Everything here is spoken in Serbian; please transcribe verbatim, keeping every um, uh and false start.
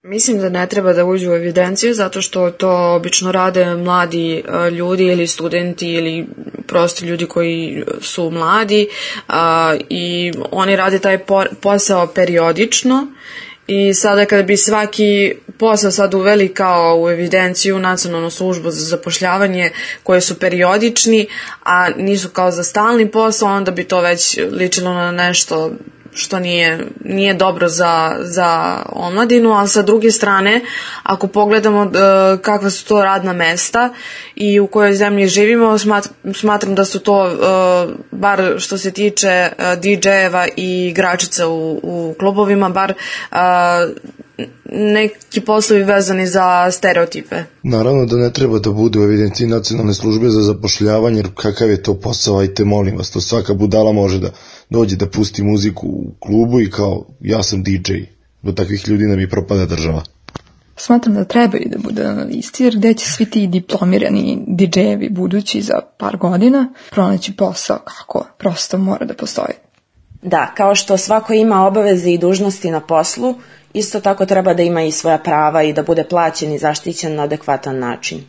Mislim da ne treba da uđu u evidenciju zato što to obično rade mladi ljudi ili studenti ili prosto ljudi koji su mladi i oni rade taj posao periodično i sada kada bi svaki posao sad uveli kao u evidenciju Nacionalnu službu za zapošljavanje koje su periodični, a nisu kao za stalni posao, onda bi to već ličilo na nešto što nije, nije dobro za, za omladinu, ali sa druge strane, ako pogledamo uh, kakva su to radna mesta i u kojoj zemlji živimo, smat, smatram da su to, uh, bar što se tiče uh, di džejeva i igračica u, u klubovima, bar uh, neki poslovi vezani za stereotipe. Naravno da ne treba da bude u evidenciji Nacionalne službe za zapošljavanje, jer kakav je to posao, ajte molim vas, to svaka budala može da dođe da pusti muziku u klubu i kao ja sam di džej. Do takvih ljudi nam i propada država. Smatram da trebaju da bude na listi, jer gde će svi ti diplomirani di džejevi budući za par godina pronaći posao kako prosto mora da postoji. Da, kao što svako ima obaveze i dužnosti na poslu, isto tako treba da ima i svoja prava i da bude plaćen i zaštićen na adekvatan način.